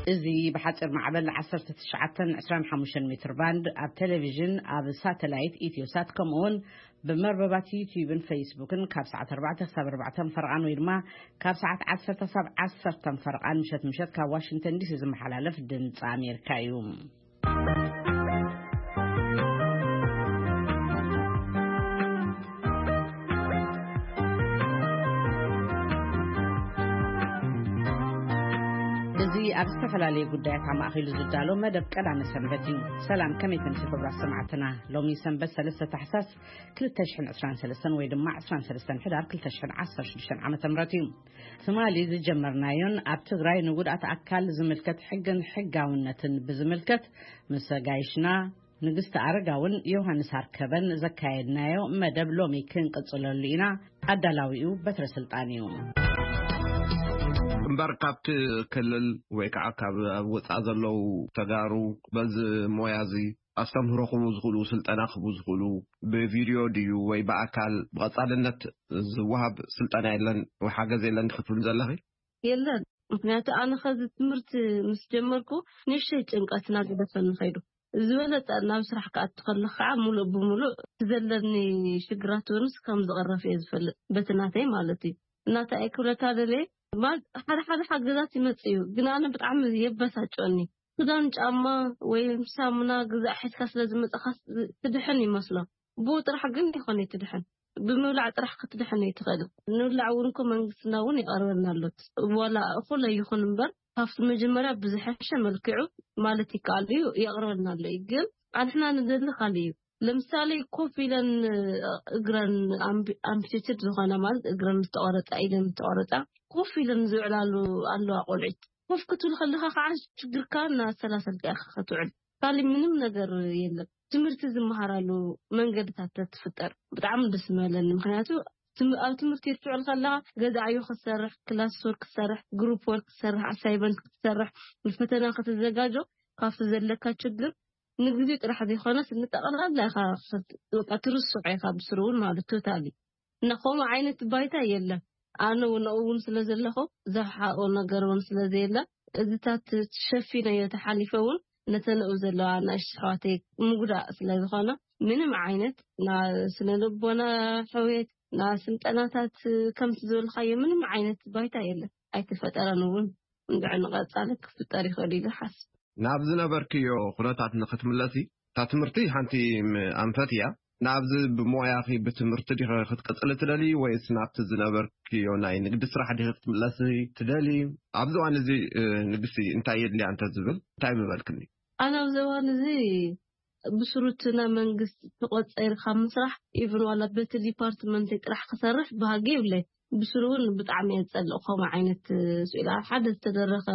እዚ ብሓፂር ማዕበል ዓሰርተ ትሽዓተ ዕስራን ሓሙሽተን ሜትር ባንድ፣ ኣብ ቴሌቪዥን፣ ኣብ ሳተላይት ኢትዮሳት፣ ከምኡ እውን ብመርበባት ዩቲዩብን ፌስቡክን ካብ ሰዓት ኣርባዕተ ክሳብ ኣርባዕተ ፈርቓን ወይ ድማ ካብ ሰዓት ዓሰርተ ክሳብ ዓሰርተ ፈርቓን ምሸት ምሸት ካብ ዋሽንግተን ዲሲ ዝመሓላለፍ ድምፂ ኣሜሪካ እዩ። እዚ ኣብ ዝተፈላለዩ ጉዳያት ኣማእኪሉ ዝዳሎ መደብ ቀዳመ ሰንበት እዩ። ሰላም፣ ከመይ ተምሲ ክብራት ሰማዕትና? ሎሚ ሰንበት ሰለስተ ታሕሳስ ክልተ ሽሕን ዕስራን ሰለስተን ወይ ድማ ዕስራን ሰለስተን ሕዳር ክልተ ሽሕን ዓሰርተ ሽዱሽተን ዓመተ ምህረት እዩ። ትማሊ ዝጀመርናዮን ኣብ ትግራይ ንጉድኣት ኣካል ዝምልከት ሕግን ሕጋውነትን ብዝምልከት ምስ ጋይሽና ንግስቲ ኣረጋውን ዮሃንስ ኣርከበን ዘካየድናዮ መደብ ሎሚ ክንቅጽለሉ ኢና። ኣዳላዊኡ በትረ ስልጣን እዩ። እምበር ካብቲ ክልል ወይ ከዓ ካብ ኣብ ወፃእ ዘለዉ ተጋሩ በዚ ሞያ እዚ ኣስተምህሮ ክህቡ ዝኽእሉ፣ ስልጠና ክህቡ ዝኽእሉ፣ ብቪድዮ ድዩ ወይ ብኣካል ብቐጻልነት ዝወሃብ ስልጠና የለን ወይ ሓገዝ የለን ክትብል ዘለኺ? የለን። ምክንያቱ ኣነ ከዚ ትምህርቲ ምስ ጀመርኩ ንእሽተይ ጭንቀትና ገደፈኒ ከይዱ። ዝበለጸ ናብ ስራሕ ክኣቱ ከለኹ ከዓ ሙሉእ ብሙሉእ እቲ ዘለኒ ሽግራት እውንስ ከም ዝቕረፍ እየ ዝፈልጥ፣ በቲ ናተይ ማለት እዩ። እናታ እየ ክብለካ ደለየ፣ ማለት ሓደ ሓደ ሓገዛት ይመጽእ እዩ፣ ግን ኣነ ብጣዕሚ የበሳጭወኒ። ክዳን፣ ጫማ ወይ ሳሙና ግዛእ ሒዝካ ስለ ዝመጻኻ ትድሕን ይመስሎ። ብኡ ጥራሕ ግን ይኾነ ትድሕን። ብምብላዕ ጥራሕ ክትድሕን ኣይትኽእልን። ንብላዕ እውን እኮ መንግስትና እውን የቕርበልና ኣሎ። ዋላ እኹል ኣይኹን እምበር፣ ካብቲ መጀመርያ ብዝሐሸ መልክዑ ማለት ይከኣል እዩ፣ የቕርበልና ኣሎ እዩ። ግን ኣንሕና ንደሊ ካልእ እዩ። ለምሳሌ ኮፍ ኢለን እግረን ኣምቢ-፣ ኣምፒቴትድ ዝኾነ ማለት እግረን ዝተቖረጻ፣ ኢደን ዝተቖረጻ ኮፍ ኢለን ዝውዕላሉ ኣለዋ ቆልዑት። ኮፍ ክትብል ከለኻ ከዓ ሽግርካ እናሰላሰልካ ኢኻ ክትውዕል። ካልእ ምንም ነገር የለን። ትምህርቲ ዝመሃራሉ መንገድታት ተትፍጠር ብጣዕሚ ደስ ምበለኒ። ምክንያቱ ትም-፣ ኣብ ትምህርቲ ክትውዕል ከለኻ ገዛ ዕዮ ክትሰርሕ፣ ክላስ ወርክ ክትሰርሕ፣ ግሩፕ ወርክ ክትሰርሕ፣ ኣሳይመንት ክትሰርሕ፣ ንፈተና ክትዘጋጆ ካብቲ ዘለካ ችግር ንግዜ ጥራሕ ዘይኮነስ ንጠቕላላ ኢኻ ክት-፣ በቃ ትርስዖ ኢኻ ብስሩ እውን ማለት ቶታሊ። እና ከምኡ ዓይነት ባይታ የለን። ኣነ እውን ኣብኡ እውን ስለ ዘለኹ ዘፍሓኦ ነገር እውን ስለ ዘየለ እዚታት ሸፊነዮ ተሓሊፈ እውን ነተን ኣብኡ ዘለዋ ኣናእሽቱ ኣሕዋተይ ምጉዳእ ስለ ዝኾነ ምንም ዓይነት ና ስነ ልቦና ሕውየት ና ስልጠናታት ከምቲ ዝበልካዮ ምንም ዓይነት ባይታ የለን። ኣይተፈጠረን እውን። እንድዒ ንቐጻሊ ክፍጠር ይኽእል ኢለ ይሓስብ። ናብ ዝነበርክዮ ኩነታት ንክትምለሲ፣ እታ ትምህርቲ ሓንቲ ም-፣ ኣንፈት እያ። ናብዚ ብሞያኺ ብትምህርቲ ዲኺ ክትቅጽሊ ትደሊ ወይስ ናብቲ ዝነበርክዮ ናይ ንግዲ ስራሕ ዲኺ ክትምለሲ ትደሊ? ኣብዚ እዋን እዚ፣ እ፣ ንግስቲ እንታይ የድልያ እንተ ዝብል እንታይ ምበልክኒ? ኣነ ኣብዚ እዋን እዚ ብስሩ እቲ ናይ መንግስቲ ተቆጺርካ ምስራሕ፣ ኢቭን ዋላ በቲ ዲፓርትመንተይ ጥራሕ ክሰርሕ ባህጊ የብለይ። ብስሩ እውን ብጣዕሚ እየ ዝጸልእ ከምኡ ዓይነት ስኢል። ኣብ ሓደ ዝተደረኸ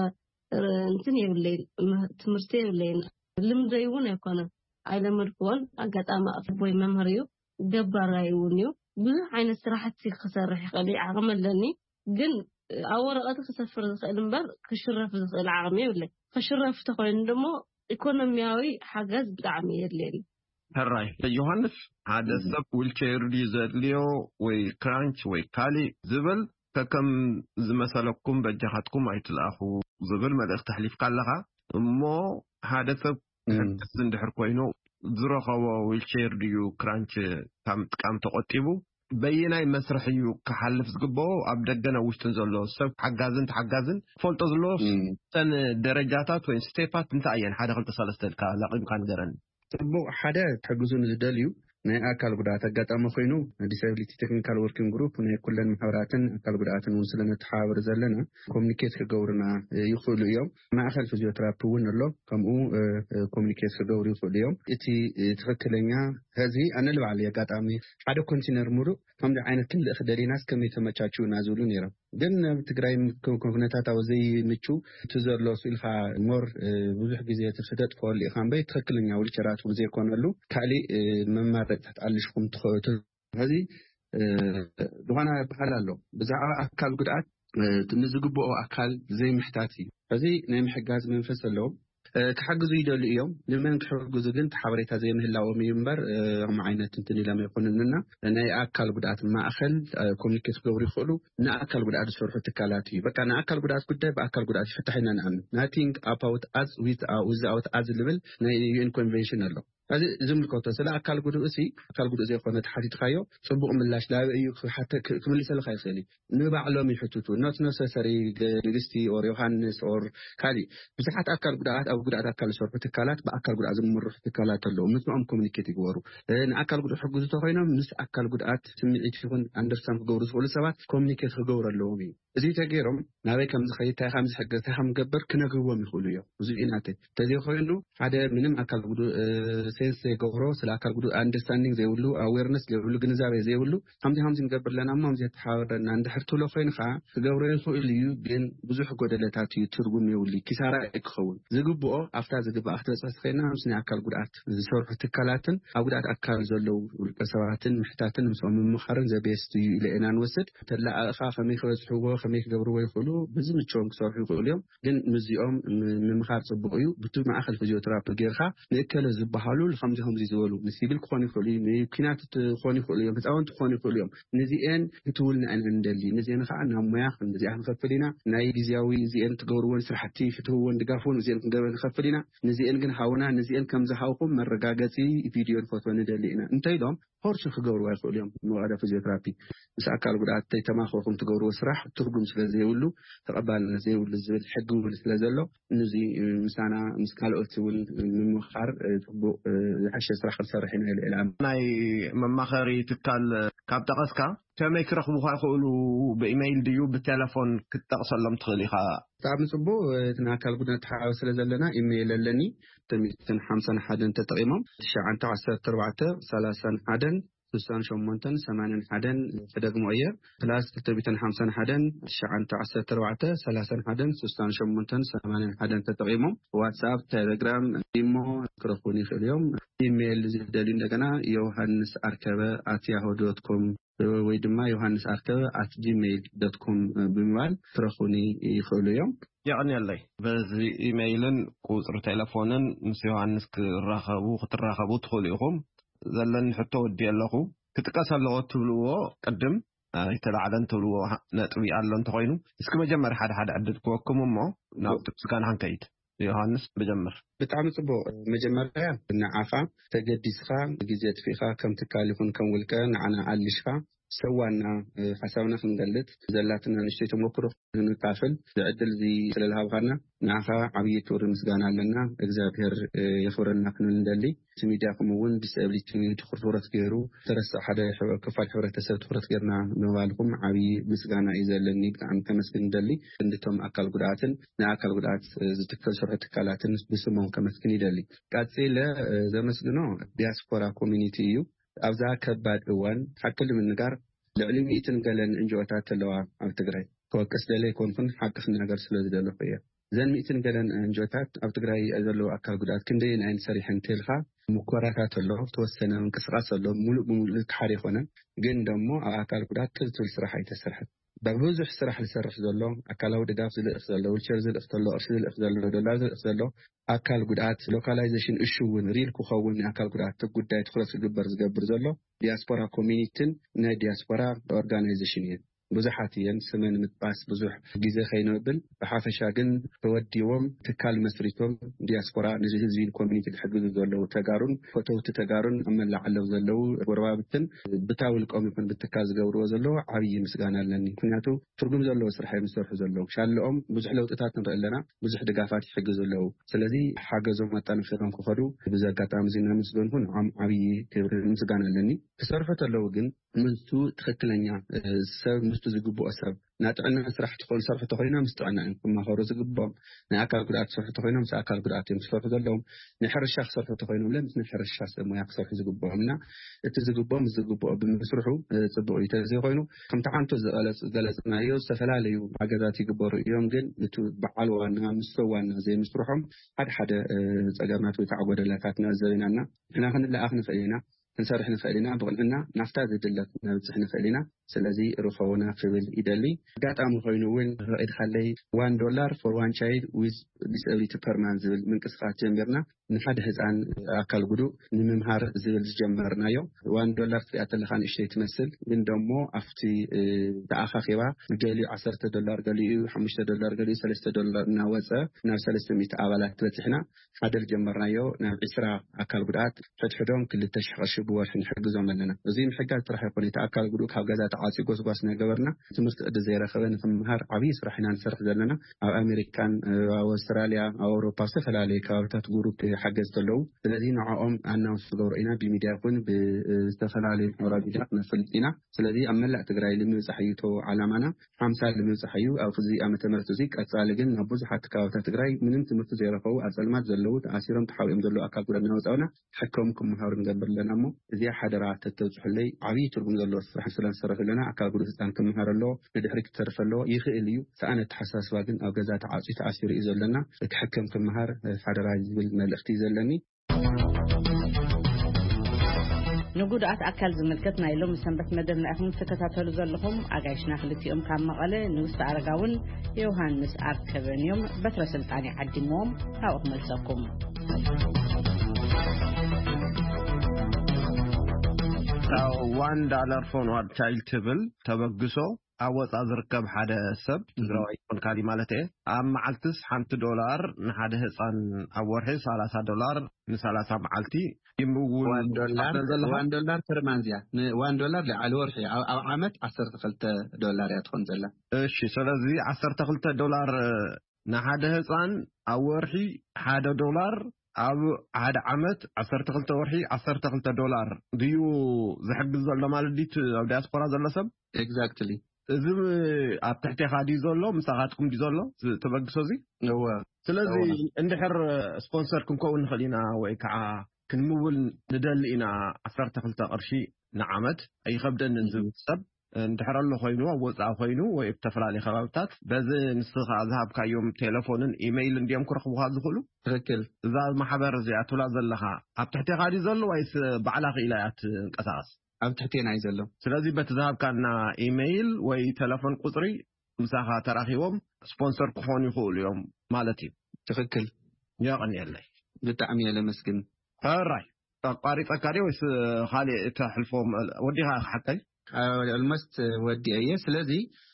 ር-፣ እንትን የብለይን፣ ም-፣ ትምህርቲ የብለይን። ልምደይ እውን ኣይኮነን። ኣይለመድክዎን። ኣጋጣሚ ኣቦይ መምህር እዩ፣ ገባራይ እውን እዩ። ብዙሕ ዓይነት ስራሕቲ ክሰርሕ ይኽእል እዩ፣ ዓቕሚ ኣለኒ። ግን ኣብ ወረቐት ክሰፍር ዝኽእል እምበር ክሽረፍ ዝኽእል ዓቕሚ የብለይ። ክሽረፍ ተኾይኑ ደሞ ኢኮኖሚያዊ ሓገዝ ብጣዕሚ የድልየኒ። ሕራይ ዮሃንስ፣ ሓደ እም። ሰብ ዊልቸር ድዩ ዘድልዮ ወይ ክራንች ወይ ካሊእ ዝብል ከከም ዝመሰለኩም በጃኻትኩም ኣይትልኣኹ ዝብል መልእኽቲ ኣሕሊፍካ ኣለኻ። እሞ ሓደ ሰብ እም። ሕግዝ እንድሕር ኮይኑ ዝረኸቦ ዊልቸር ድዩ ክራንች ካብ ምጥቃም ተቆጢቡ በየናይ መስርሕ እዩ ክሓልፍ ዝግብኦ? ኣብ ደገን ኣብ ውሽጥን ዘሎ ሰብ ሓጋዝን ተሓጋዝን ክፈልጦ ዘለዎ እም። እተን ደረጃታት ወይ ስቴፓት እንታይ እየን? ሓደ ክልተ ሰለስተ ኢልካ ለቒምካ ንገረኒ። ጽቡቕ፣ ሓደ ክሕግዙ ንዝደልዩ ናይ ኣካል ጉድኣት ኣጋጣሚ ኮይኑ ዲሳቢሊቲ ቴክኒካል ወርኪንግ ግሩፕ ናይ ኩለን ማሕበራትን ኣካል ጉድኣትን እውን ስለ ነተሓባብር ዘለና ኮሚኒኬት ክገብሩና፣ እ፣ ይኽእሉ እዮም። ማእከል ፊዚዮቴራፒ እውን ኣሎ፣ ከምኡ፣ እ፣ እ፣ ኮሚኒኬት ክገብሩ ይኽእሉ እዮም። እቲ፣ እ፣ ትኽክለኛ ሕዚ ኣነ ልባዕለይ ኣጋጣሚ ሓደ ኮንቲነር ሙሉእ ከምዚ ዓይነት ክንልእኽ ደሊናስ ከመይ ተመቻችውና ዝብሉ ነይሮም። ግን ኣብ ትግራይ ም-፣ ክ-፣ ክ-፣ ኩነታት ኣብ ዘይምቹ እቲ ዘሎ ስኢልካ ሞር፣ እ፣ ብዙሕ ግዜ እቲ ክተጥፍኣሉ ኢኻ እምበይ ትኽክለኛ ዊልቸራት እውን ዘይኮነሉ ካሊእ፣ እ፣ መማረፅታት ኣልሽኹም ትኸ-፣ ት-፣ ሕዚ፣ እ፣ ዝኾነ በሃል ኣሎ። ብዛዕባ ኣካል ጉድኣት፣ እ፣ ንዝግብኦ ኣካል ዘይምሕታት እዩ። ሕዚ ናይ ምሕጋዝ መንፈስ ኣለዎም። ክሕግዙ ይደልዩ እዮም። ንመን ክሕግዙ ግን ሓበሬታ ዘይምህላዎም እዩ እምበር፣ ከም ዓይነት እንትን ኢሎም ኣይኮኑንና። ናይ ኣካል ጉድኣት ማእኸል ኮሚኒኬት ክገብሩ ይኽእሉ። ንኣካል ጉድኣት ዝሰርሑ ትካላት እዩ። በቃ ንኣካል ጉድኣት ጉዳይ ብኣካል ጉድኣት ይፍታሕ ኢና ንኣምን። Nothing about us without us ዝብል ናይ ዩኤን ኮንቨንሽን ኣሎ። እዚ ዝምልከቶ ስለ ኣካል ጉድኡ ሲ ኣካል ጉድኡ ዘይኮነ ተሓቲትካዮ፣ ፅቡቕ ምላሽ ላበ እዩ ክሓተ- ክምልሰልካ ይኽእል እዩ። ንባዕሎም ይሕትቱ። ኖት ነሰሰሪ ንግስቲ ኦር ዮሃንስ ኦር ካሊእ ብዙሓት ኣካል ጉድኣት ኣብ ጉድኣት ኣካል ዝሰርሑ ትካላት ብኣካል ጉድኣት ዝምርሑ ትካላት ኣለዉ። ምስኦም ኮሚኒኬት ይግበሩ። ንኣካል ጉድኡ ሕግዙ ተኮይኖም ምስ ኣካል ጉድኣት ስምዒት ይኹን ኣንደርስታንድ ክገብሩ ዝኽእሉ ሰባት ኮሚኒኬት ክገብሩ ኣለዎም እዩ። እዚ ተገይሮም ናበይ ከም ዝኸይድ፣ እንታይ ከም ዝሕገዝ፣ እንታይ ከም ዝገብር ክነግርዎም ይኽእሉ እዮም። እዚ እዩ ናተይ። እንተዘይኮይኑ ሓደ ምንም ኣካል ጉዱ ሴንስ ዘይገብሮ፣ ስለ ኣካል ጉዱ ኣንደርስታንዲንግ ዘይብሉ፣ ኣዌርነስ ዘይብሉ፣ ግንዛቤ ዘይብሉ ከምዚ ከምዚ ንገብር ኣለና እሞ ከምዚ የተሓባበረና እንድሕር ትብሎ ኮይንካ ክገብሮ ይኽእል እዩ። ግን ብዙሕ ጎደለታት እዩ፣ ትርጉም የብሉ፣ ኪሳራ እዩ ክኸውን። ዝግብኦ ኣብታ ዝግባኣ ክትበፅሕ ትኽእልና ምስ ናይ ኣካል ጉድኣት ዝሰርሑ ትካላትን ኣብ ጉድኣት ኣካል ዘለዉ ውልቀ ሰባትን ምሕታትን ምስኦም ምምኻርን ዘቤስት እዩ ኢለ ኢና ንወስድ። ተላኣእኻ ከመይ ክበፅሕዎ ከመይ ክገብርዎ ይኽእሉ ብዝምቸዎም ክሰርሑ ይኽእሉ እዮም። ግን ምስዚኦም ምምኻር ፅቡቕ እዩ። ብቲ ማእኸል ፊዚዮትራፒ ጌርካ ንእከለ ዝበሃሉ ከምዚ ከምዚ ዝበሉ ንሲቪል ክኾኑ ይኽእሉ እዩ፣ ንኪናት ክኾኑ ይኽእሉ እዮም፣ ህፃውንቲ ክኾኑ ይኽእሉ እዮም። ንዚኤን ክትውልና ኢና ንደሊ። ንዚኤን ከዓ ናብ ሙያ ክንዚኣ ክንኸፍል ኢና። ናይ ግዜያዊ እዚኤን ትገብርዎን ስራሕቲ ክትህብዎን ድጋፍዎን እዚኤን ክንገብር ንኸፍል ኢና። ንዚኤን ግን ሃውና ንዚኤን ከም ዝሃውኹም መረጋገፂ ቪድዮ ንፈትወ ንደሊ ኢና እንተኢሎም ፖርሽ ክገብርዋ ይኽእሉ እዮም። መቐለ ፊዚዮትራፒ ምስ ኣካል ጉድኣት ተይተማኸርኩም ትገብርዎ ስራሕ ትርጉም ስለ ዘይብሉ ተቐባልነት ዘይብሉ ዝብል ሕጊ እውን ስለ ዘሎ ንዚ ምሳና ምስ ካልኦት እውን ምምኻር ፅቡቕ ዝሓሸ ስራሕ ክንሰርሕ ኢና ኢለ ዕላማ። ናይ መማኸሪ ትካል ካብ ጠቐስካ ከመይ ክረኽቡኻ ይኽእሉ? ብኢመይል ድዩ ብቴሌፎን ክትጠቕሰሎም ትኽእል ኢኻ? ብጣዕሚ ፅቡቅ። እቲ ናይ ኣካል ጉድኣት ተሓባቢ ስለ ዘለና ኢሜይል ኣለኒ። ክልተ ሚእትን ሓምሳን ሓደን ተጠቂሞም ትሽዓተ ዓሰርተ ኣርባዕተ ሰላሳን ሓደን ስሳን ሸሞንተን ሰማንያን ሓደን ተደግሞ እየ። ፕላስ ክልተ ሚእትን ሓምሳን ሓደን ትሽዓተ ዓሰርተ ኣርባዕተ ሰላሳን ሓደን ስሳን ሸሞንተን ሰማንያን ሓደን ተጠቂሞም ዋትሳፕ፣ ቴሌግራም፣ ኢሞ ክረኽቡን ይኽእሉ እዮም። ኢሜይል ዝደልዩ እንደገና ዮሃንስ ኣርከበ ኣት ያሆ ዶት ኮም ወይ ድማ ዮሃንስ ኣርከበ ኣት ጂሜይል ዶት ኮም ብምባል ክረኽቡኒ ይኽእሉ እዮም። የቐንየለይ። በዚ ኢሜይልን ቁፅሪ ቴሌፎንን ምስ ዮሃንስ ክራኸቡ ክትራኸቡ ትኽእሉ ኢኹም። ዘለኒ ሕቶ ወዲ ኣለኹ። ክጥቀስ ኣለዎ ትብልዎ ቅድም ኣይተላዕለን ትብልዎ ነጥቢ ኣሎ እንተኾይኑ እስኪ መጀመርያ ሓደ ሓደ ዕድል ክወኩም እሞ ናብቲ ምስጋና ክንከይድ። ዮሃንስ ብጀምር። ብጣዕሚ ጽቡቕ። መጀመርያ ንዓኻ ተገዲስኻ ግዜ ኣጥፊእኻ ከም ትካል ይኹን ከም ውልቀ ንዓና ኣልሽኻ ሰዋና ሓሳብና ክንገልጽ ዘላትና ንእሽተይ ተመክሮ ክንካፈል ዝዕድል እዚ ስለዝሃብኻና ንዓኻ ዓብዪ ክብሪ ምስጋና ኣለና። እግዚኣብሔር የኽብረና ክንብል ንደሊ። እቲ ሚድያኹም እውን ዲስኣብሊቲ ኮሚኒቲ ትኹረት ገይሩ ተረስዕ ሓደ ክፋል ሕብረተሰብ ትኹረት ገይርና ምባልኩም ዓብዪ ምስጋና እዩ ዘለኒ። ብጣዕሚ ከመስግን ንደሊ። ክንድቶም ኣካል ጉድኣትን ንኣካል ጉድኣት ዝትከል ስርሑ ትካላትን ብስሞም ከመስግን ይደሊ። ቀፂለ ዘመስግኖ ዲያስፖራ ኮሚኒቲ እዩ። ኣብዛ ከባድ እዋን ሓቂ ንምንጋር ልዕሊ ሚእትን ገለን እንጅኦታት ኣለዋ ኣብ ትግራይ። ክወቅስ ደለ ኣይኮንኩን ሓቂ ክናገር ስለ ዝደለኹ እየ። እዘን ሚእትን ገለን እንጆታት ኣብ ትግራይ ዘለዉ ኣካል ጉድኣት ክንደይን ኣይን ሰሪሐን እንተልካ ሙኮራታት ኣሎ፣ ተወሰነ ምንቅስቃስ ኣሎ፣ ሙሉእ ብሙሉእ ዝከሓደ ኣይኮነን። ግን ደሞ ኣብ ኣካል ጉድኣት ትልትል ስራሕ ኣይተሰርሐን። ብዙሕ ስራሕ ዝሰርሕ ዘሎ ኣካላዊ ድጋፍ ዝልእኽ ዘሎ ዊልቸር ዝልእኽ ዘሎ ቅርሺ ዝልእኽ ዘሎ ዶላር ዝልእኽ ዘሎ ኣካል ጉድኣት ሎካላይዜሽን እሹ እውን ሪል ክኸውን ኣካል ጉድኣት ጉዳይ ትኩረት ክግበር ዝገብር ዘሎ ዲያስፖራ ኮሚኒቲን ናይ ዲያስፖራ ኦርጋናይዜሽን እየን። ብዙሓት እየን ስመን ምጥቃስ ብዙሕ ግዜ ከይንብል ብሓፈሻ ግን ተወዲቦም ትካል መስሪቶም ዲያስፖራ ንዚ ህዝቢ ኮሚኒቲ ክሕግዙ ዘለዉ ተጋሩን ፈተውቲ ተጋሩን ኣብ መላእ ዓለም ዘለዉ ጎረባብትን ብታ ውልቆም ይኹን ብትካል ዝገብርዎ ዘለዉ ዓብዪ ምስጋና ኣለኒ። ምክንያቱ ትርጉም ዘለዎ ስራሕ እዮም ዝሰርሑ ዘለዉ። ሻለኦም ብዙሕ ለውጥታት ንርኢ ኣለና። ብዙሕ ድጋፋት ይሕግዙ ኣለዉ። ስለዚ ሓገዞም ኣጠናኺሮም ክኸዱ ብዚ ኣጋጣሚ እዚ እናመስገንኩ ንዖም ዓብዪ ክብሪ ምስጋና ኣለኒ። ክሰርሑ ተለዉ ግን ምስቱ ትኽክለኛ ሰብ ምስቱ ዝግብኦ ሰብ ናይ ጥዕና ስራሕ ትኾኑ ሰርሑ ተኮይኖም ምስ ጥዕና እዮም ክማኸሩ ዝግብኦም። ናይ ኣካል ጉድኣት ዝሰርሑ ተኮይኖም ምስ ኣካል ጉድኣት እዮም ክሰርሑ ዘለዎም። ናይ ሕርሻ ክሰርሑ ተኮይኖም ለ ምስ ናይ ሕርሻ ሰብ ሞያ ክሰርሑ ዝግብኦም እና እቲ ዝግብኦ ምስ ዝግብኦ ብምስርሑ ፅቡቅ እዩ። ተዘይኮይኑ ከምቲ ሓንቱ ዝገለፅናዮ ዝተፈላለዩ ሓገዛት ይግበሩ እዮም። ግን እቲ በዓል ዋና ምስ ሰብ ዋና ዘይምስርሖም ሓደ ሓደ ፀገማት ወይ ከዓ ጎደላታት ንዕዘብ ኢና እና ንሕና ክንለኣኽ ንኽእል ኢና። ክንሰርሕ ንኽእል ኢና። ብቕንዕና ናብታ ዝድለት ነብጽሕ ንኽእል ኢና። ስለዚ ርኸቡና ክብል ይደሊ። ኣጋጣሚ ኮይኑ እውን ፈቒድካለይ፣ one dollar for one child with disability per month ዝብል ምንቅስቃስ ጀሚርና። ንሓደ ህፃን ኣካል ጉዱእ ንምምሃር ዝብል ዝጀመርናዮ። One dollar ክትሪኣ ተለኻ ንእሽተይ ትመስል፣ ግን ደሞ ኣብቲ ተኣኻኺባ፣ ገሊኡ ዓሰርተ ዶላር፣ ገሊኡ ሓሙሽተ ዶላር፣ ገሊኡ ሰለስተ ዶላር እናወፀ ናብ ሰለስተ ሚእቲ ኣባላት በፂሕና። ሓደ ዝጀመርናዮ ናብ ዒስራ ኣካል ጉድኣት ሕድሕዶም ክልተ ሽሕ ቅርሺ ብወርሒ ንሕግዞም ኣለና። እዚ ምሕጋዝ ጥራሕ ይኮነ፣ እቲ ኣካል ጉዱእ ካብ ገዛ ተዓፅዩ ጎስጓስ እናገበርና ትምህርቲ ቅዲ ዘይረኸበ ንክምሃር ዓብዪ ስራሕ ኢና ንሰርሕ ዘለና። ኣብ ኣሜሪካን ኣብ ኣውስትራልያ ኣብ ኣውሮፓ ኣብ ዝተፈላለዩ ከባብታት ጉሩፕ ሓገዝቲ ኣለዉ። ስለዚ ንዕኦም ኣናውንስ ንገብሮ ኢና፣ ብሚድያ ይኹን ብዝተፈላለዩ ማሕበራዊ ሚድያ ክነፈልጥ ኢና። ስለዚ ኣብ መላእ ትግራይ ንምብፃሕ እዩ እቶ ዓላማና። ሓምሳ ንምብፃሕ እዩ ኣብዚ ዓመተ ምህረት እዚ። ቀፃሊ ግን ናብ ብዙሓት ከባብታት ትግራይ ምንም ትምህርቲ ዘይረኸቡ፣ ኣብ ፀልማት ዘለዉ፣ ተኣሲሮም ተሓቢኦም ዘለዉ ኣካል ጉዳት እናወፃኡና ሕክም ክምሃሩ ንገብር ኣለና። እሞ እዚኣ ሓደራ ተተብፅሑለይ። ዓብዪ ትርጉም ዘለዎ ስራሕ ስለንሰርሕ ኣለና። ኣካል ጉዱእ ህፃን ክምሃር ኣለዎ፣ ንድሕሪት ክተርፍ ኣለዎ። ይኽእል እዩ። ሰኣን ኣተሓሳስባ ግን ኣብ ገዛ ተዓፅዩ ተኣሲሩ እዩ ዘለና። እቲ ሕክም ክምሃር ሓደራ ዝብል መልእኽቲ እዩ ዘለኒ። ንጉድኣት ኣካል ዝምልከት ናይ ሎሚ ሰንበት መደብና ኢኹም ትከታተሉ ዘለኹም። ኣጋይሽና ክልቲኦም ካብ መቐለ፣ ንግስቲ ኣረጋውን ዮሃንስ ኣርከበን እዮም። በትረ ስልጣን ይዓዲምዎም፣ ካብኡ ክመልሰኩም። One dollar for one child ትብል ተበግሶ ኣብ ወፃ ዝርከብ ሓደ ሰብ ትግራዋይ ይኮን ካሊ ማለት እየ፣ ኣብ መዓልትስ ሓንቲ ዶላር ንሓደ ህፃን፣ ኣብ ወርሒ ሰላሳ ዶላር ንሰላሳ መዓልቲ ይምውል። One dollar per month እያ። ን one dollar ልዓሊ ወርሒ፣ ኣብ ዓመት ዓሰርተ ክልተ ዶላር እያ ትኾን ዘላ። እሺ፣ ስለዚ ዓሰርተ ክልተ ዶላር ንሓደ ህፃን፣ ኣብ ወርሒ ሓደ ዶላር፣ ኣብ ሓደ ዓመት ዓሰርተ ክልተ ወርሒ ዓሰርተ ክልተ ዶላር ድዩ ዝሕግዝ ዘሎ ማለት ድዩ? ኣብ ዲያስፖራ ዘሎ ሰብ። Exactly። እዚ ኣብ ትሕቴኻ ድዩ ዘሎ? ምሳኻትኩም ድዩ ዘሎ ተበግሶ እዚ? እወ። ስለዚ እንድሕር ስፖንሰር ክንከውን ንኽእል ኢና ወይ ከዓ ክንምውል ንደሊ ኢና፣ ዓሰርተ ክልተ ቅርሺ ንዓመት ኣይኸብደንን ዝብል ሰብ እንድሕር ኣሎ ኮይኑ፣ ኣብ ወፃኢ ኮይኑ ወይ ኣብ ዝተፈላለዩ ከባብታት፣ በዚ ንስኻ ዝሃብካዮም ቴሌፎንን ኢሜይልን ድዮም ክረኽቡኻ ዝኽእሉ? ትኽክል። እዛ ማሕበር እዚኣ ትብላ ዘለኻ ኣብ ትሕቴኻ ድዩ ዘሎ ወይስ ባዕላ ክኢላ እያ ትንቀሳቐስ? ኣብ ትሕቴና እዩ ዘሎ። ስለዚ በቲ ዝሃብካና ኢሜይል ወይ ቴሌፎን ቁፅሪ ምሳኻ ተራኺቦም ስፖንሰር ክኾኑ ይኽእሉ እዮም ማለት እዩ። ትኽክል። የቐንየለይ። ብጣዕሚ እየ ለመስግን። ሕራይ። ኣቋሪፀካ ድየ ወይስ ካልእ ተሕልፎ ወዲኻ ሓቀይ? Almost ወዲኤ እየ። ስለዚ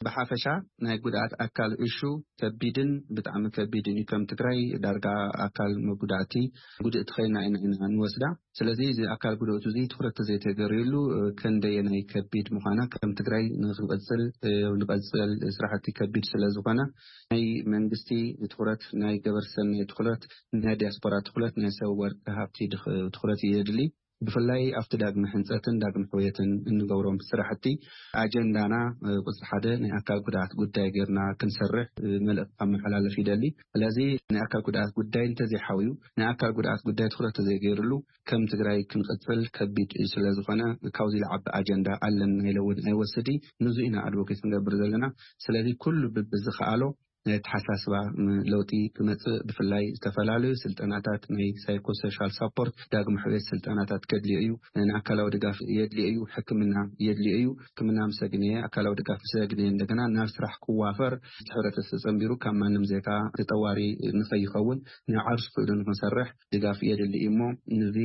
ብሓፈሻ ናይ ጉድኣት ኣካል እሹ ከቢድን ብጣዕሚ ከቢድን እዩ። ከም ትግራይ ዳርጋ ኣካል መጉዳእቲ ጉድእቲ ኮይና ኢና ኢና ንወስዳ። ስለዚ እዚ ኣካል ጉድእቱ እዚ ትኹረት ተዘይተገርየሉ ክንደየናይ ከቢድ ምዃና ከም ትግራይ ንክንቐፅል ንቐፅል ስራሕቲ ከቢድ ስለዝኾነ ናይ መንግስቲ ትኹረት፣ ናይ ገበርቲ ሰናይ ትኹረት፣ ናይ ዲያስፖራ ትኹረት፣ ናይ ሰብ ወርቂ ሃብቲ ትኹረት የድሊ። ብፍላይ ኣብቲ ዳግመ ሕንፀትን ዳግመ ሕውየትን እንገብሮም ስራሕቲ ኣጀንዳና ቁፅሪ ሓደ ናይ ኣካል ጉድኣት ጉዳይ ጌርና ክንሰርሕ መልእኽቲ ከመሓላልፍ ይደሊ። ስለዚ ናይ ኣካል ጉድኣት ጉዳይ እንተዘይሓውዩ፣ ናይ ኣካል ጉድኣት ጉዳይ ትኹረት ተዘይገይርሉ ከም ትግራይ ክንቕፅል ከቢድ ስለዝኾነ ካብዚ ዝዓቢ ኣጀንዳ ኣለና ኢለ እውን ኣይወስድ። ንዙ ኢና ኣድቮኬት ንገብር ዘለና። ስለዚ ኩሉ ብብዝኸኣሎ ናይ ኣተሓሳስባ ለውጢ ክመፅእ፣ ብፍላይ ዝተፈላለዩ ስልጠናታት ናይ ሳይኮሶሻል ሳፖርት፣ ዳግመ ሕውየት ስልጠናታት ከድልዮ እዩ። ንኣካላዊ ድጋፍ የድልዮ እዩ። ሕክምና የድልዮ እዩ። ሕክምና ምስ ኣግነየ፣ ኣካላዊ ድጋፍ ምስ ኣግነየ፣ እንደገና ናብ ስራሕ ክዋፈር፣ እቲ ሕብረተሰብ ተፀንቢሩ ካብ ማንም ዜጋ ተጠዋሪ ንኸይኸውን፣ ንዓርሱ ክእሉ ንክንሰርሕ ድጋፍ የድሊ እዩ። እሞ ንዚ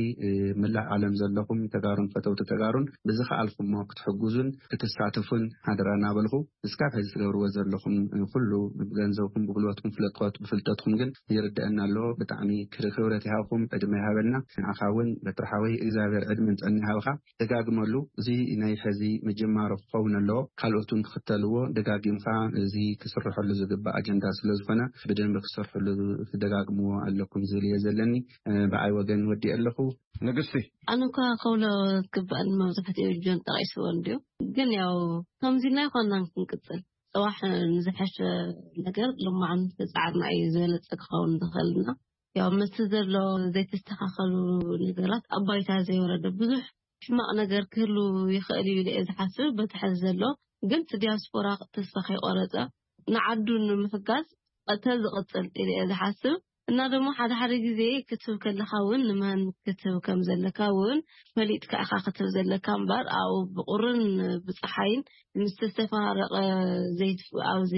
ምላእ ዓለም ዘለኹም ተጋሩን ፈተውቲ ተጋሩን ብዝኸኣልኩሞ ክትሕግዙን ክትሳተፉን ሓደራ እናበልኹ፣ እስካብ ሕዚ ትገብርዎ ዘለኹም ኩሉ ብገንዘብኩም፣ ብጉልበትኩም፣ ፍለጥኮት ብፍልጠትኩም ግን ይርደአና ኣለዎ። ብጣዕሚ ክብረት ይሃብኩም፣ ዕድመ ይሃበልና። ንዓኻ እውን በትሪ ሓወይ እግዚኣብሔር ዕድመን ጥዕና ይሃብኻ። ደጋግመሉ። እዚ ናይ ሕዚ ምጅማሮ ክኸውን ኣለዎ። ካልኦት እውን ክኽተልዎ፣ ደጋጊምካ እዚ ክስርሐሉ ዝግባእ ኣጀንዳ ስለዝኾነ ብደንቢ ክሰርሕሉ ክትደጋግምዎ ኣለኩም ዝብል እየ ዘለኒ። ብዓይ ወገን ወዲእ ኣለኹ። ንግስቲ። ኣነ እኳ ከብሎ ዝግባእኒ መብዛሕትኡ ጆን ጠቒስዎ እንድዩ። ግን ያው ከምዚ ኢልና ኣይኮንናን ክንቅጽል። ጽባሕ ንዝሐሸ ነገር ልማዕን ተጻዕርና እዩ ዝበለጸ ክኸውን ዝኽእልና። ያው ምስቲ ዘሎ ዘይተስተኻኸሉ ነገራት ኣብ ባይታ ዘይወረደ ብዙሕ ሕማቕ ነገር ክህሉ ይኽእል እዩ ኢለ እየ ዝሓስብ። በቲ ሐዚ ዘሎ ግን እቲ ዲያስፖራ ተስፋ ከይቆረጸ ንዓዱ ንምሕጋዝ ተዝቕጽል ኢለ እየ ዝሓስብ። እና ደሞ ሓደ ሓደ ግዜ ክትህብ ከለኻ እውን ንመን ክትህብ ከም ዘለካ እውን ፈሊጥካ ኢኻ ክትህብ ዘለካ እምበር፣ ኣብኡ ብቁርን ብፀሓይን ምስ ዝተፈራረቐ ዘይትፍ-፣ ኣብዚ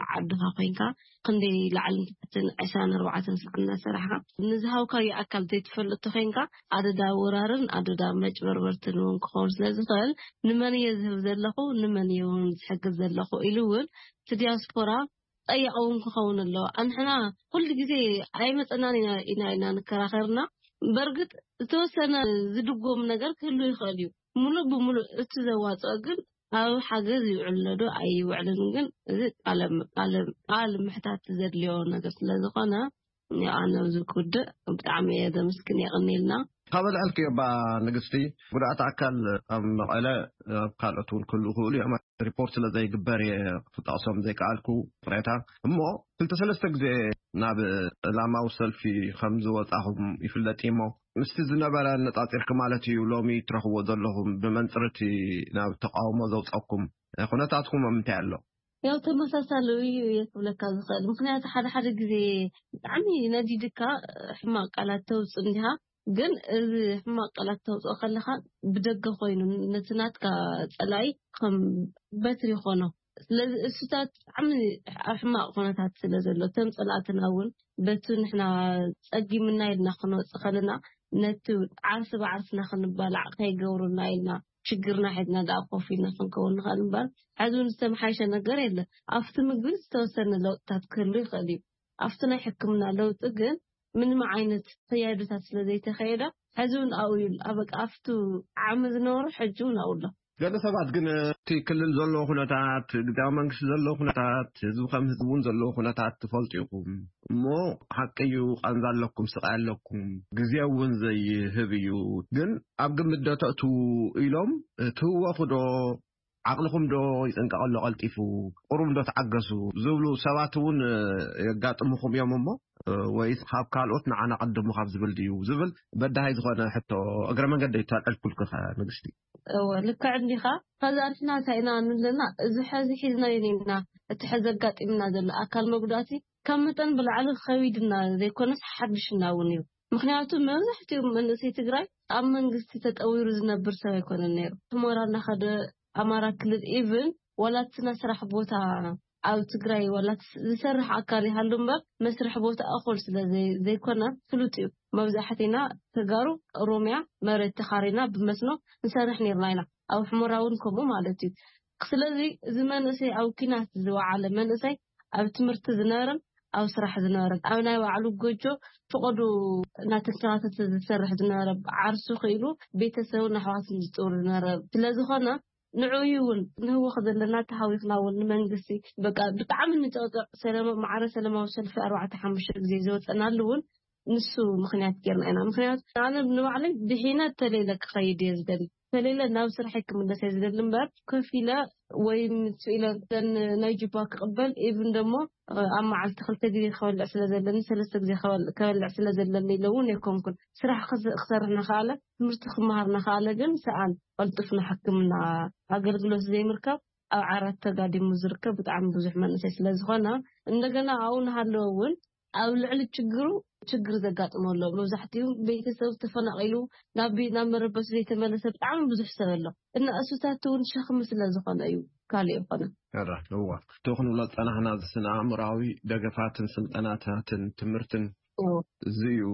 ዓድኻ ኮይንካ ክንደይ ላዕልን ታሕትን ዕስራን ኣርባዕተን ሰዓት እናሰራሕካ ንዝሃብካዮ ኣካል ዘይትፈልጥ ተኮይንካ፣ ኣደዳ ወራርን ኣደዳ መጭበርበርትን እውን ክኸውን ስለ ዝኽእል፣ ንመን እየ ዝህብ ዘለኹ፣ ንመን እየ እውን ዝሕግዝ ዘለኹ ኢሉ እውን እቲ ዲያስፖራ ጠያቂ እውን ክኸውን ኣለዎ። ኣንሕና ኩሉ ግዜ ኣይመፀናን ኢና ኢና ኢና ንከራኸርና። በርግጥ ዝተወሰነ ዝድጎም ነገር ክህሉ ይኽእል እዩ። ሙሉእ ብሙሉእ እቲ ዘዋፅኦ ግን ኣብ ሓገዝ ይውዕል ዶ ኣይውዕልን ግን፣ እዚ ቃለ ቃለ ቃል ምሕታት ዘድልዮ ነገር ስለ ዝኾነ፣ ያው ኣነ ኣብዚ ክውድእ። ብጣዕሚ እየ ዘመስግን፣ የቐንየልና። ካብ ኣልዐልክዮ እባ ንግስቲ፣ ጉድኣት ኣካል ኣብ መቐለ፣ ኣብ ካልኦት እውን ክህልዉ ይኽእሉ እዮም። ሪፖርት ስለ ዘይግበር እየ ክጠቕሶም ዘይከኣልኩ፣ ቅሬታ። እሞ ክልተ ሰለስተ ግዜ ናብ ዕላማዊ ሰልፊ ከም ዝወጻኹም ይፍለጥ እዩ። እሞ ምስቲ ዝነበረ ኣነጻጺርኪ ማለት እዩ፣ ሎሚ ትረኽብዎ ዘለኹም ብመንጽር እቲ ናብ ተቃውሞ ዘውጸኩም ኩነታትኩም ኣብ ምንታይ ኣሎ? ያው ተመሳሳሊ እዩ እየ ክብለካ ዝኽእል። ምኽንያቱ ሓደ ሓደ ግዜ ብጣዕሚ ነዲድካ ሕማቕ ቃላት ተውጽእ እንዲኻ፣ ግን እዚ ሕማቕ ቃላት ተውጽኦ ከለኻ ብደገ ኮይኑ ነቲ ናትካ ጸላኢ ከም በትሪ ይኾኖ። ስለዚ እሱታት ብጣዕሚ ኣብ ሕማቕ ኩነታት ስለ ዘሎ፣ እቶም ጸላእትና እውን በቲ ንሕና ጸጊምና ኢልና ክንወጽእ ከለና፣ ነቲ ዓርሲ ብዓርስና ክንባላዕ ከይገብሩና ኢልና ሽግርና ሒዝና ደኣ ኮፍ ኢልና ክንከውን ንኽእል እምበር፣ ሕዚ እውን ዝተመሓየሸ ነገር የለን። ኣብቲ ምግቢ ዝተወሰነ ለውጥታት ክህሉ ይኽእል እዩ። ኣብቲ ናይ ሕክምና ለውጢ ግን ምንም ዓይነት ክያዶታት ስለ ዘይተኸየደ፣ ሕዚ እውን ኣብኡ እዩ። ኣብ በቃ ኣብቱ ዓሚ ዝነበሩ ሕጂ እውን ኣብኡ ኣሎ። ገለ ሰባት ግን እቲ ክልል ዘለዎ ኩነታት፣ ግዝያዊ መንግስቲ ዘለዎ ኩነታት፣ ህዝቢ ከም ህዝቢ እውን ዘለዎ ኩነታት ትፈልጡ ኢኹም። እሞ ሓቂ እዩ፣ ቃንዛ ኣለኩም፣ ስቓይ ኣለኩም፣ ግዜ እውን ዘይህብ እዩ። ግን ኣብ ግምት ዶ ተእትዉ ኢሎም ትህወኹ ዶ? ዓቕልኹም ዶ ይጽንቀቕ ኣሎ ቀልጢፉ? ቁሩብ ዶ ተዓገሱ? ዝብሉ ሰባት እውን የጋጥሙኹም እዮም እሞ፣ ወይስ ካብ ካልኦት ንዓና ቀድሙ ካብ ዝብል ድዩ ዝብል በዳሂ ዝኾነ ሕቶ እግረ መንገደይ ተልዕልኩልኪ ንግስቲ። እወ፣ ልክዕ እንዲኻ። ከዛ ንሕና እንታይ ኢና ንብለና፣ እዚ ሕዚ ሒዝናዮ ነይና፣ እቲ ሕዚ ኣጋጢምና ዘሎ ኣካል መጉዳእቲ ካብ መጠን ብላዕሊ ከቢድና ዘይኮነስ ሓድሽና እውን እዩ። ምኽንያቱ መብዛሕትኡ መንእሰይ ትግራይ ኣብ መንግስቲ ተጠዊሩ ዝነብር ሰብ ኣይኮነን ነይሩ። ሑመራ እናኸደ ኣማራ ክልል ኢቭን ዋላ እቲ ናይ ስራሕ ቦታ ኣብ ትግራይ ዋላ እቲ ዝሰርሕ ኣካል ይሃሉ እምበር መስርሕ ቦታ እኹል ስለ ዘይ-፣ ዘይኮነ ፍሉጥ እዩ። መብዛሕትና ተጋሩ ኦሮምያ መሬት ተኻሪና ብመስኖ ንሰርሕ ነይርና ኢና። ኣብ ሑመራ እውን ከምኡ ማለት እዩ። ስለዚ እዚ መንእሰይ ኣብ ኲናት ዝወዓለ መንእሰይ ኣብ ትምህርቲ ዝነበረን ኣብ ስራሕ ዝነበረን ኣብ ናይ ባዕሉ ጎጆ ፈቐዱ እናተንከባተተ ዝሰርሕ ዝነበረ ዓርሱ ክኢሉ ቤተሰብን ኣሕዋትን ዝፅውር ዝነበረ ስለ ዝኾነ ንዕኡ እውን ንህወኽ ዘለና ተሃዊኽና እውን ንመንግስቲ በቃ ብጣዕሚ ንጨቕጨቕ ሰለማ-፣ ማዕረ ሰለማዊ ሰልፊ ኣርባዕተ ሓሙሽተ ግዜ ዝወፀናሉ እውን ንሱ ምኽንያት ጌርና ኢና። ምኽንያቱ ኣነ ንባዕለይ ድሒነ ተለይለ ክኸይድ እየ ዝደሊ። ተለይለ ናብ ስራሐይ ክምለስ እየ ዝደሊ እምበር ኮፍ ኢለ ወይ ምስ ኢለ ዘን ናይ ጁባ ክቕበል ኢቭን ደሞ ኣብ መዓልቲ ክልተ ግዜ ክበልዕ ስለ ዘለኒ ሰለስተ ግዜ ክበል-፣ ክበልዕ ስለ ዘለኒ ኢለ እውን ኣይኮንኩን። ስራሕ ክስ-፣ ክሰርሕ እናኸኣለ ትምህርቲ ክመሃር እናኸኣለ ግን ሰኣን ቀልጡፍ ናይ ሕክምና ኣገልግሎት ዘይምርካብ ኣብ ዓራት ተጋዲሙ ዝርከብ ብጣዕሚ ብዙሕ መንእሰይ ስለ ዝኾነ እንደገና ኣብኡ እናሃለወ እውን ኣብ ልዕሊ ችግሩ ችግር ዘጋጥሞ ኣሎ። መብዛሕትኡ ቤተሰብ ተፈናቒሉ ናብ ቤ-፣ ናብ መረበቱ ዘይተመለሰ ብጣዕሚ ብዙሕ ሰብ ኣሎ። እና እሱታት እውን ሸኽሚ ስለ ዝኾነ እዩ፣ ካልእ ይኾነ። ሕራ እዋ፣ እቲ ክንብሎ ዝጸናሕና እዚ ስነ ኣእምሮኣዊ ደገፋትን ስልጠናታትን ትምህርትን እዎ። እዚ እዩ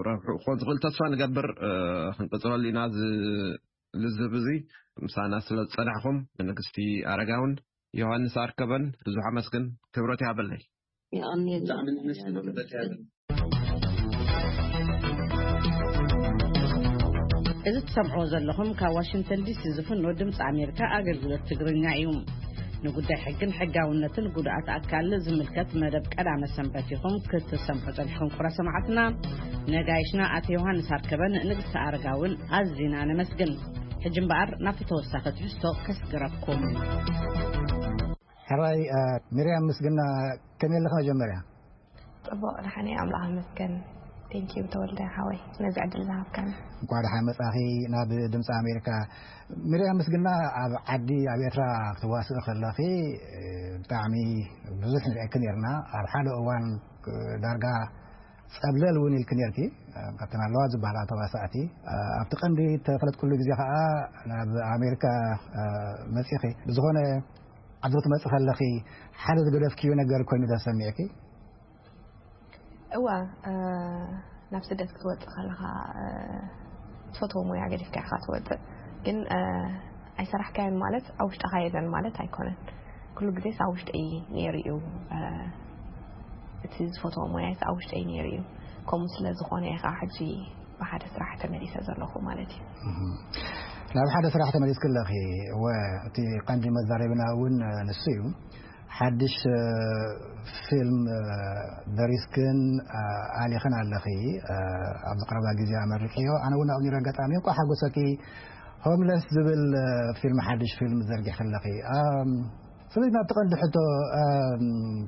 ረብሑ ክኾን ዝኽእል። ተስፋ ንገብር፣ እ፣ ክንቅጽለሉ ኢና እዚ ልዝብ እዚ። ምሳና ስለ ዝጸናሕኩም ንግስቲ ኣረጋውን ዮሃንስ ኣርከበን ብዙሕ ኣመስግን፣ ክብረት ይሃበለይ። የቐንየልና። እዚ ትሰምዕዎ ዘለኹም ካብ ዋሽንግተን ዲሲ ዝፍኖ ድምፂ ኣሜሪካ ኣገልግሎት ትግርኛ እዩ። ንጉዳይ ሕግን ሕጋውነትን ጉድኣት ኣካል ዝምልከት መደብ ቀዳመ ሰንበት ኢኹም ክትሰምዑ ጸኒሕኩም። ክቡራት ሰማዕትና፣ ነጋይሽና ኣቶ ዮሃንስ ኣርከበን ንግስቲ ኣረጋውን ኣዚና ነመስግን። ሕጂ እምበኣር ናብቲ ተወሳኺ ትሕዝቶ ከስግረኩም። ሕራይ፣ እ፣ ሚርያም ምስግና፣ ከመይ ኣለኻ መጀመርያ? ጽቡቕ፣ ደሓን እየ፣ ኣምላኽ ይመስገን። ቴንኪዩ ተወልደ ሓወይ፣ ነዚ ዕድል ዝሃብካኒ። እንኳዕ ደሓን መጻኺ ናብ ድምፂ ኣሜሪካ። ሚርያም ምስግና፣ ኣብ ዓዲ፣ ኣብ ኤርትራ ክትዋስእ ከለኺ፣ እ፣ ብጣዕሚ ብዙሕ ንርእየኪ ነርና። ኣብ ሓደ እዋን፣ እ፣ ዳርጋ ጸብለል እውን ኢልኪ ነርኪ። ካብተን ኣለዋ ዝበሃላ ተዋሳእቲ ኣብቲ ቀንዲ ተፈለጥኩሉ ግዜ ከዓ ናብ ኣሜሪካ መጺኺ። ብዝኾነ ኣብዚ ክትመጺ ከለኺ ሓደ ዝገደፍክዮ ነገር ኮይኑ ተሰሚዕኪ? እዋ ናብ ስደት ክትወፅእ ከለኻ ትፈትዎ ሞያ ገዲፍካ ኢኻ ትወፅእ። ግን ኣይሰራሕካዮን ማለት ኣብ ውሽጥኻ የለን ማለት ኣይኮነን። ኩሉ ግዜስ ኣብ ውሽጠይ ነይሩ እዩ። እቲ ዝፈትዎ ሞያስ ኣብ ውሽጠይ ነይሩ እዩ። ከምኡ ስለ ዝኾነ እየ ከዓ ሕጂ ብሓደ ስራሕ ተመሊሰ ዘለኹ ማለት እዩ። ናብ ሓደ ስራሕ ተመሊስኪ ኣለኺ። እወ፣ እቲ ቀንዲ መዛረብና እውን ንሱ እዩ። ሓድሽ ፊልም ደሪስክን ኣሊኽን ኣለኺ። ኣብዚ ቀረባ ግዜ ኣመርቂዮ። ኣነ እውን ኣብኡ ነይረ፣ ኣጋጣሚ እንኳ ሓጎሰኪ። ሆምለስ ዝብል ፊልም፣ ሓድሽ ፊልም ዘርጊሕ ከለኺ። ስለዚ ናብቲ ቀንዲ ሕቶ፣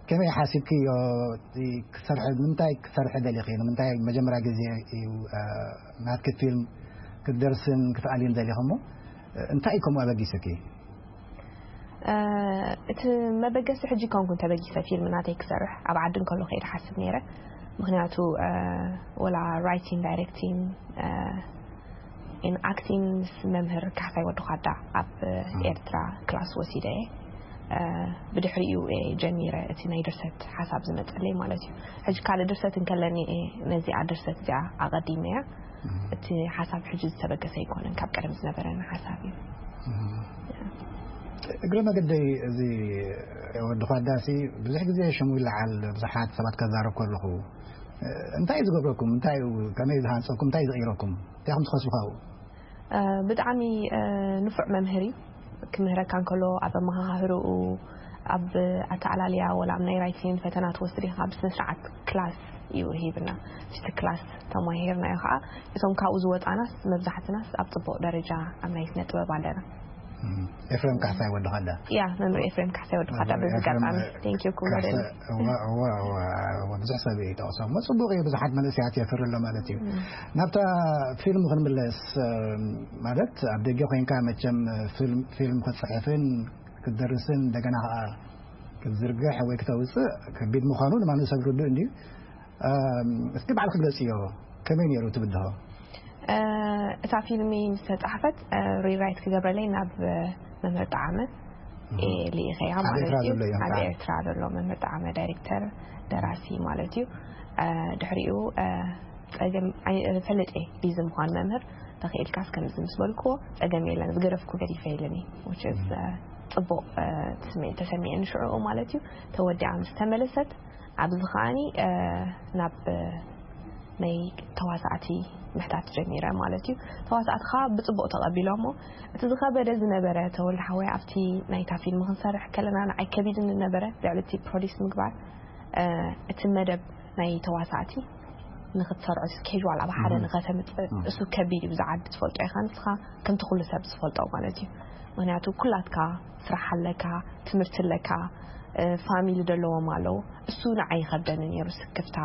ከመይ ሓሲብክዮ? ክሰርሐ፣ ንምንታይ ክሰርሐ ደሊኺ? ንምንታይ መጀመርያ ግዜ እዩ ናትኪ ፊልም ክትደርስን ክትኣልይን ደሊኺ? እሞ እንታይ እዩ ከምኡ ኣበጊስኪ? እቲ መበገሲ ሕጂ ኮንኩን ተበጊሰ ፊልም ናተይ ክሰርሕ ኣብ ዓዲ እንከሎ ከይደ ሓስብ ነይረ። ምክንያቱ ወላ ራይቲንግ፣ ዳይሬክቲንግ፣ ኣክቲንግ ምስ መምህር ካሕሳይ ወዲ ኳዳ ኣብ ኤርትራ ክላስ ወሲደ እየ። ብድሕሪኡ እየ ጀሚረ እቲ ናይ ድርሰት ሓሳብ ዝመፀለይ ማለት እዩ። ሕጂ ካልእ ድርሰት እንከለኒ እየ ነዚኣ ድርሰት እዚኣ ኣቐዲመያ። እቲ ሓሳብ ሕጂ ዝተበገሰ ኣይኮነን፣ ካብ ቀደም ዝነበረኒ ሓሳብ እዩ። እግረ መገደይ፣ እዚ ወዲ ኳዳሲ ብዙሕ ግዜ ሽሙ ይለዓል፣ ብዙሓት ሰባት ከዛረብ ከለኹ እንታይ እዩ ዝገብረኩም? እንታይ እዩ፣ ከመይ ዝሃንፀኩም? እንታይ እዩ ዝቕይረኩም? እንታይ ከም ትኸስቡ ካብኡ? ብጣዕሚ ንፉዕ መምህር እዩ። ክምህረካ እንከሎ ኣብ ኣመሃሃህርኡ፣ ኣብ ኣተኣላልያ፣ ወላ ኣብ ናይ ራይቲን ፈተና ትወስድ ኢኻ፣ ብስነ ስርዓት ክላስ እዩ ሂብና። እቲ ክላስ ተማሂርናዮ ከዓ። እቶም ካብኡ ዝወፃናስ መብዛሕትናስ ኣብ ፅቡቕ ደረጃ ኣብ ናይ ስነ ጥበብ ኣለና። ኤፍሬም ካሕሳይ ወዲ ኳዳ። ያ፣ መምህር ኤፍሬም ካሕሳይ ወዲ ኳዳ። በዚ ኣጋጣሚ ቴንኪዩ ክብሎ ደሊ። ብዙሕ ሰብ ይጠቕሶ እሞ ፅቡቕ እዩ፣ ብዙሓት መንእሰያት የፍሪ ኣሎ ማለት እዩ። ናብታ ፊልም ክንምለስ፣ ማለት ኣብ ደገ ኮይንካ መቸም ፊልም ክትፅሕፍን ክትደርስን እንደገና ከዓ ክትዝርግሕ ወይ ክተውፅእ ከቢድ ምዃኑ ንማንም ሰብ ርዱእ እንድዩ። እስኪ ባዕልኪ ግለፅዮ፣ ከመይ ነይሩ እቲ ብድሆ? እታ ፊልሚ ምስ ተፃሕፈት ሪራይት ክገብረለይ ናብ መምህር ጣዓመ ልኢኸያ ማለት እዩ። ኣብ ኤርትራ ዘሎ መምህር ጣዓመ ዳይሬክተር፣ ደራሲ ማለት እዩ። ድሕሪኡ ፀገም ፈለጠ ቢዚ ምዃን መምህር፣ ተኽኢልካስ ከምዚ ምስ በልክዎ ፀገም የለን፣ ዝገደፍኩ ገዲፈ ኢለኒ። ጽቡቕ ስምዒት ተሰሚዐኒ ሽዑኡ ማለት እዩ። ተወዲኣ ምስ ተመለሰት ኣብዚ ከዓኒ ናብ ናይ ተዋሳእቲ ምሕታት ጀሚረ ማለት እዩ። ተዋሳእቲ ከዓ ብፅቡቕ ተቐቢሎሞ። እቲ ዝኸበደ ዝነበረ ተወልደ ሓወይ ኣብቲ ናይታ ፊልም ክንሰርሕ ከለና ንዓይ ከቢድኒ ነበረ ልዕሊ እቲ ፕሮዲስ ምግባር። እቲ መደብ ናይ ተዋሳእቲ ንክትሰርዖ ስኬጅዋል ኣብ ሓደ ንኸተምፅእ እሱ ከቢድ እዩ። ብዛዕባ ትፈልጦ ኢኻ ንስኻ ከምቲ ኩሉ ሰብ ዝፈልጦ ማለት እዩ። ምክንያቱ ኩላትካ ስራሕ ኣለካ፣ ትምህርቲ ኣለካ፣ ፋሚሊ ዘለዎም ኣለዉ። እሱ ንዓይ ይኸብደኒ ነይሩ ስክፍታ።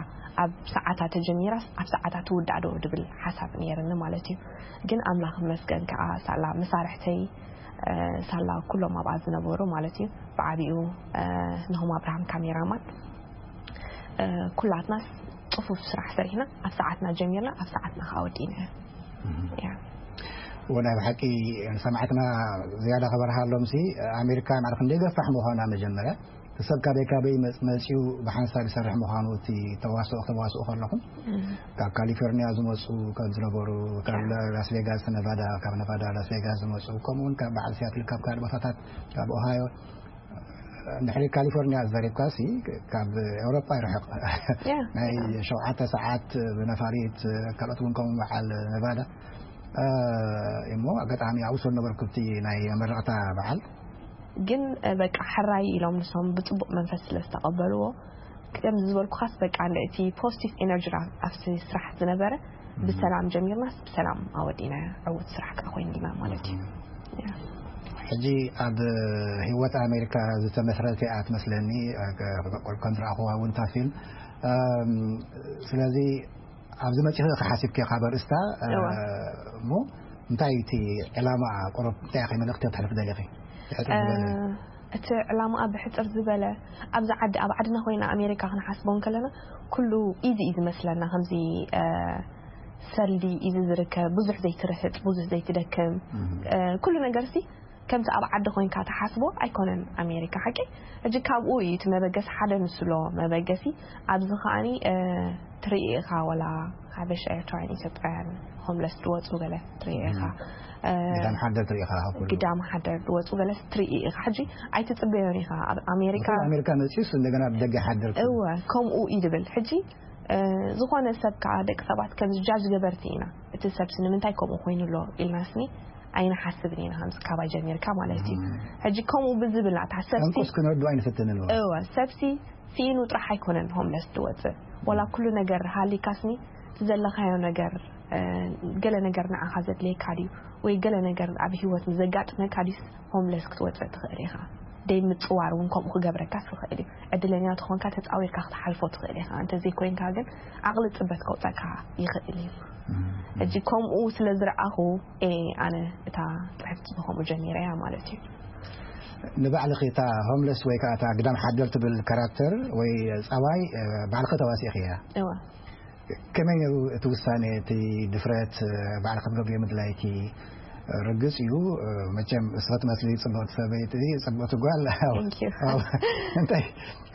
ኣብ ሰዓታ ተጀሚራስ ኣብ ሰዓታ ትውዳእ ዶ ድብል ሓሳብ ነይርኒ ማለት እዩ። ግን ኣምላኽ ይመስገን ከዓ ሳላ መሳርሕተይ ሳላ ኩሎም ኣብኣ ዝነበሩ ማለት እዩ። ብዓቢኡ ንሆም ኣብርሃም ካሜራማን ኩላትናስ ፅፉፍ ስራሕ ሰሪሕና ኣብ ሰዓትና ጀሚርና ኣብ ሰዓትና ከዓ ወዲእና። ወናይ ብሓቂ ንሰማዕትና ዝያዳ ከበርሃሎም ሲ ኣሜሪካ ማለት ክንደይ ገፋሕ ምዃና መጀመርያ ሰብ ካበይ ካበይ መፅ- መፅኡ ብሓንሳብ ይሰርሕ ምዃኑ እቲ ተዋስኦ ከተዋስኡ ከለኹም ካብ ካሊፎርኒያ ዝመፁ ከም ዝነበሩ ካብ ላስ ቬጋስ ነቫዳ ካብ ነቫዳ ላስ ቬጋስ ዝመፁ ከምኡ እውን ካብ በዓል ሲያትል ካብ ካልእ ቦታታት ካብ ኦሃዮ ንድሕሪ ካሊፎርኒያ ዘሪብካ ሲ ካብ ኤውሮጳ ይርሕቕ ናይ ሸውዓተ ሰዓት ብነፋሪት ካልኦት እውን ከምኡ በዓል ነቫዳ እሞ ኣጋጣሚ ኣብኡ ስለ ነበርኩ እቲ ናይ መመረቕታ በዓል ግን በቃ ሕራይ ኢሎም ንሶም ብፅቡቕ መንፈስ ስለ ዝተቐበልዎ ከምዚ ዝበልኩኻስ በቃ እንደ እቲ ፖዚቲቭ ኤነርጂ ኣብቲ ስራሕ ዝነበረ ብሰላም ጀሚርናስ ብሰላም ኣወዲና ዕውት ስራሕ ከዓ ኮይኑልና ማለት እዩ። ሕጂ ኣብ ህይወት ኣሜሪካ ዝተመስረተ እያ ትመስለኒ ከም ዝረኣኹዋ እውን እታ ፊልም ስለዚ ኣብዚ መፂኺ ክሓሲብኪ ካብ ኣርእስታ እሞ እንታይ እቲ ዕላማ ቁሩብ እንታይ ኢኺ መልእኽቲ ተሕልፍ ደሊኺ? እቲ ዕላማኣ ብሕጽር ዝበለ፣ ኣብዚ ዓዲ፣ ኣብ ዓድና ኮይና ኣሜሪካ ክንሓስቦ እንከለና፣ ኩሉ ኢዚ እዩ ዝመስለና። ከምዚ፣ እ፣ ሰልዲ ኢዚ ዝርከብ፣ ብዙሕ ዘይትርህጥ፣ ብዙሕ ዘይትደክም፣ እም። እ፣ ኩሉ ነገርሲ ከምቲ ኣብ ዓዲ ኮይንካ ትሓስቦ ኣይኮነን ኣሜሪካ፣ ሓቂ። ሕጂ ካብኡ እዩ እቲ መበገሲ፣ ሓደ ንሱ ኣሎ መበገሲ። ኣብዚ ከኣኒ፣ እ፣ ትርኢ ኢኻ፣ ወላ ሓበሻ፣ ኤርትራውያን፣ ኢትዮጵያውያን፣ ሆምለስ ዝወፁ ገለ ትርኢ ኢኻ። እም። እ፣ ግዳም ሓደር ትርኢ ኢኻ፣ ካብ ኩሉ። ግዳም ሓደር ዝወፁ ገለ ትርኢ ኢኻ። ሕጂ ኣይትፅበዮን ኢኻ። ኣብ ኣሜሪካ ንኹሉ ኣሜሪካ መፂኡስ እንደገና ብደገ ሓደር ትርኢ። እወ፣ ከምኡ እዩ ዝብል። ሕጂ፣ እ፣ ዝኾነ ሰብ ከዓ፣ ደቂ ሰባት ከምዚ ጃጅ ገበርቲ ኢና። እቲ ሰብሲ ንምንታይ ከምኡ ኮይኑ ኣሎ ኢልናስኒ ኣይንሓስብን ኢና፣ ከምዚ ካባይ ጀሚርካ ማለት እዩ። እም። ሕጂ ከምኡ ብዝብል ናታ ሰብሲ ጠንቁስ ክነርዱ ኣይንፍትንን እወ። እወ፣ ሰብሲ ስኢኑ ጥራሕ ኣይኮነን ሆምለስ ዝወፅእ። ወላ ኩሉ ነገር ሃሊካስኒ፣ እቲ ዘለኻዮ ነገር፣ እ፣ ገለ ነገር ንዓኻ ዘድልየካ ድዩ? ወይ ገለ ነገር ኣብ ህይወት ምስ ዘጋጥመካ ድዩስ ሆምለስ ክትወፅእ ትኽእል ኢኻ? ደይ ምፅዋር እውን ከምኡ ክገብረካስ ይኽእል እዩ። ዕድለኛ ተኾንካ ተፃዊርካ ክትሓልፎ ትኽእል ኢኻ። እንተዘይኮይንካ ግን ዓቕሊ ፅበት ከውፀካ ይኽእል እዩ። እም። ሕጂ ከምኡ ስለ ዝረኣኹ፣ ኤ፣ ኣነ እታ ፅሕፍቲ ብኸምኡ ጀሚረ እያ ማለት እዩ። ንባዕልኺ እታ ሆምለስ ወይ ከዓ እታ ግዳም ሓደር ትብል ካራክተር ወይ ጸባይ፣ እ፣ ባዕልኺ ተዋሲእኽያ። እወ። ከመይ ነይሩ እቲ ውሳኔ፣ እቲ ድፍረት፣ እ፣ ባዕልኺ ክትገብርዮ ምድላይኪ? ርግጽ እዩ፣ እ፣ መቸም ንስኺ ትመስሊ ጽብቕቲ ሰበይቲ፣ ጽብቕቲ ጓል። Thank you። ኣብ፣ እንታይ፣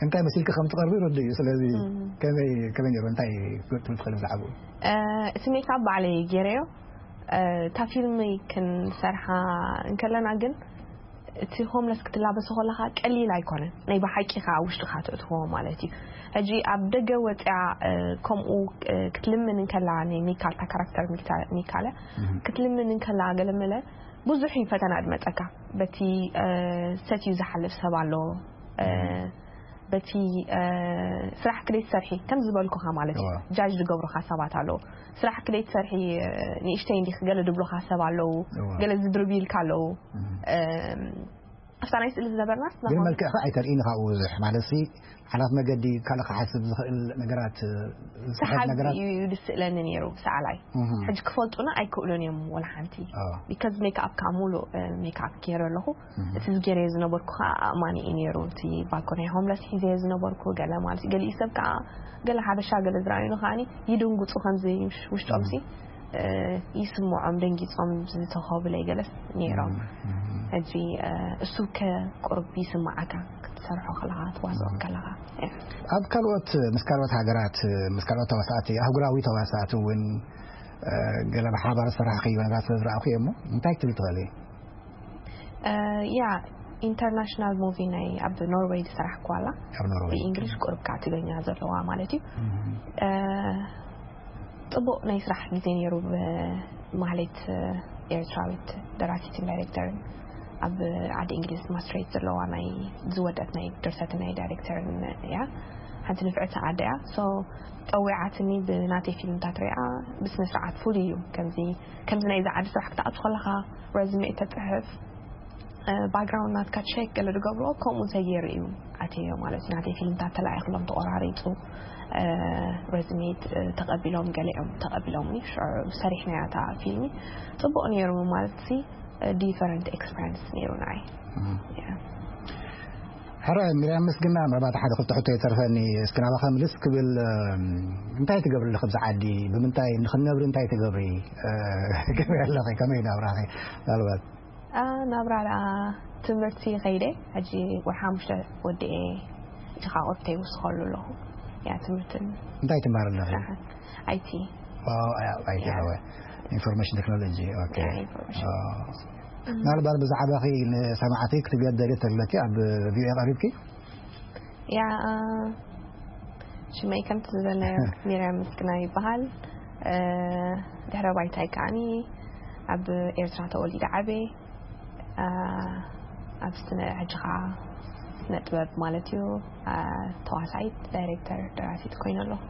እንታይ መሲልኪ ከም ትቐርቢ ርዱእ እዩ። ስለዚ እም። ከመይ፣ ከመይ ነይሩ? እንታይ ክትብል ትኽእሊ ብዛዕባኡ? እ፣ እቲ ሜክኣፕ ባዕለይ ገይረዮ። እ፣ እታ ፊልም ክንሰርሓ እንከለና ግን፣ እቲ ሆምለስ ክትላበሶ ከለኻ ቀሊል ኣይኮነን። ናይ ብሓቂ ከኣ ውሽጥኻ ትእትዎ ማለት እዩ። ሕጂ ኣብ ደገ ወጽያ፣ እ፣ ከምኡ፣ እ፣ ክትልምን እንከላ፣ ናይ ሚካል፣ እታ ካራክተር ሚክታ-፣ ሚካለ፣ እህ። ክትልምን እንከላ ገለ መለ ብዙሕ እዩ ፈተና ዝመጸካ። በቲ፣ እ፣ ሰትዩ ዝሓልፍ ሰብ ኣሎ። እ፣ እህ። በቲ፣ እ፣ ስራሕ ክደይ ትሰርሒ፣ ከም ዝበልኩኻ ማለት እዩ። እዋ። ጃጅ ዝገብሩኻ ሰባት ኣለዉ። ስራሕ ክደይ ትሰርሒ፣ እ፣ ንእሽተይ እንዲኺ ገለ ዝብሉኻ ሰብ ኣለዉ። እዋ። ገለ ዝድርብዩልካ ኣለዉ። እም። እም፣ ኣብታ ናይ ስእሊ ዝነበርናስ ግን ናሆም መልክዕኻ ኣይተርእይን ኢኻ ብዙሕ፣ ማለትሲ ሓላፍ መገዲ ካልእ ክሓስብ ዝኽእል ነገራት፣ እ፣ ዝስሕት ሰሓቢ ነገራት እዩ ዝስእለኒ ነይሩ ሰኣላይ። እህ። ሕጂ ክፈልጡና ኣይክእሉን እዮም ወላ ሓንቲ። ኣዎ። ቢካዝ ሜክኣፕ ከዓ ሙሉእ፣ እ፣ ሜክኣፕ ገይረ ኣለኹ። እህ። እቲ ዝገይረዮ ዝነበርኩ ከዓ ኣእማኒ እዩ ነይሩ። እቲ ባኮ ናይ ሆምለስ ሒዘዮ ዝነበርኩ ገለ ማለት እዩ። ገሊኡ ሰብ ከዓ ገለ ሓበሻ ገለ ዝረኣዩኒ ከዓኒ ይድንግፁ ከምዚ ውሽ-፣ ውሽጦምሲ፣ እህ። እ፣ ይስምዖም ደንጊፆም ዝተኸብለይ ገለስ ነይሮም። እህ፣ እህ። ሕጂ፣ እ፣ እሱ ከ ቁሩብ ይስምዓካ ክትሰርሖ ከለኻ፣ ትዋስኦ እህ። ከለኻ። እ። ኣብ ካልኦት፣ ምስ ካልኦት ሃገራት፣ ምስ ካልኦት ተዋሳእቲ፣ ኣህጉራዊ ተዋሳእቲ እውን፣ እ፣ ገለ ብሓባር ዝሰራሕክዮ ነገራት ስለ ዝረኣኹ እየ እሞ፣ እንታይ ክትብል ትኽእሊ? እ፣ ያ፣ ኢንተርናሽናል ሙቪ ናይ ኣብ ኖርዌይ ዝሰራሕኩዋ ኣላ። ኣብ ኖርዌይ። ብእንግሊሽ ቁሩብ ከዓ ትግርኛ ዘለዋ ማለት እዩ። እህ። እ፣ ጽቡቕ ናይ ስራሕ ግዜ ነይሩ። ብማህሌት፣ እ፣ ኤርትራዊት ደራሲትን ዳይሬክተርን ኣብ ዓዲ እንግሊዝ ማስትሬት ዘለዋ ናይ ዝወደት ናይ ድርሰትን ናይ ዳይሬክተርን እያ። ሓንቲ ንፍዕቲ ኣደ እያ። ሶ ጸዊዓትኒ ብናተይ ፊልምታት ሪኣ ብስነ ስርዓት ፍሉይ እዩ። ከምዚ፣ ከምዚ ናይዚ ዓዲ ስራሕ ክትኣቱ ከለኻ ረዝሜ ተጽሕፍ፣ እ፣ ባክግራውንድ ናትካ ቸክ ገለ ዝገብርዎ ከምኡ ተገይሩ እዩ ኣትዮ ማለት እዩ። ናተይ ፊልምታት ተላኢኽሎም ተቆራሪጹ፣ እ፣ ረዝሜ፣ እ፣ ተቐቢሎም፣ ገሊኦም ተቐቢሎምኒ። ሽዑ ሰሪሕናያ እታ ፊልሚ። ጽቡቕ ነይሩ ማለት ሲ፣ እ፣ ዲፈረንት ኤክስፐሪንስ ነይሩ ንዓይ። እም። ያ። ሕራይ፣ ሚርያም ምስግና፣ ምናልባት ሓደ ክልተ ሕቶ ይተርፈኒ። እስኪ ናባኻ ምልስ ክብል፣ እም፣ እንታይ ትገብሪ ኣለኺ ኣብዚ ዓዲ? ብምንታይ ንኽነብሪ እንታይ ትገብሪ? እ፣ ትገብሪ ኣለኺ? ከመይ ናብራኺ? ምናልባት ኣ፣ ናብራ ደኣ ትምህርቲ ከይደ፣ ሕጂ ወርሒ ሓሙሽተ ወዲኤ፣ ሕጂ ኸኣ ቁርብተይ ይውስኸሉ ኣለኹ። ያ፣ ትምህርትን እንታይ ትማር ኣለኺ? ስራሕን። ኣይቲ። ዋው፣ ኣያ-፣ ኣይቲ ያ። ሃወ። ኢንፎርሜሽን ቴክኖሎጂ፣ ኦኬ። ያ፣ ኢንፎርሜሽን። ኦ። እም። ምናልባት ብዛዕባኺ ንሰማዕቲ ክትብልዮ ትደልዮ ተለኪ ኣብ ቪኦኤ ቀሪብኪ? ያ፣ እ፣ ሽመይ ከምቲ ዝበልናዮ ሚርያም ምስግና ይበሃል። እ፣ ድሕረ ባይታይ ከዓኒ ኣብ ኤርትራ ተወሊደ ዓብየ። እ፣ ኣብ ስነ-፣ ሕጂ ኸዓ ስነ ጥበብ ማለት እዩ፣ እ፣ ተዋሳኢት፣ ዳይሬክተር፣ ደራሲት ኮይነ ኣለኹ።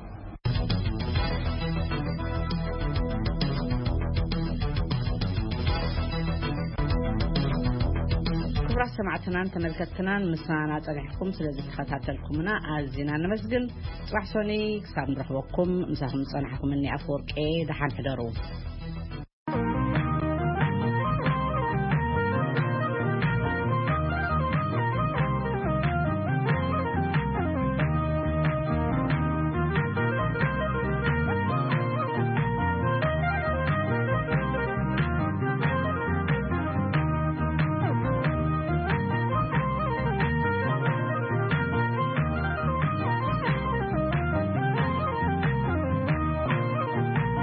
ክቡራት ሰማዕትናን ተመልከትትናን፣ ምሳና ጸኒሕኩም ስለ ዝተኸታተልኩምና ኣዚና ነመስግን። ጽባሕ ሶኒ ክሳብ ንረኽበኩም፣ ምሳኹም ዝጸናሕኩም እኒ ኣፈወርቂ፣ ደሓን ሕደሩ።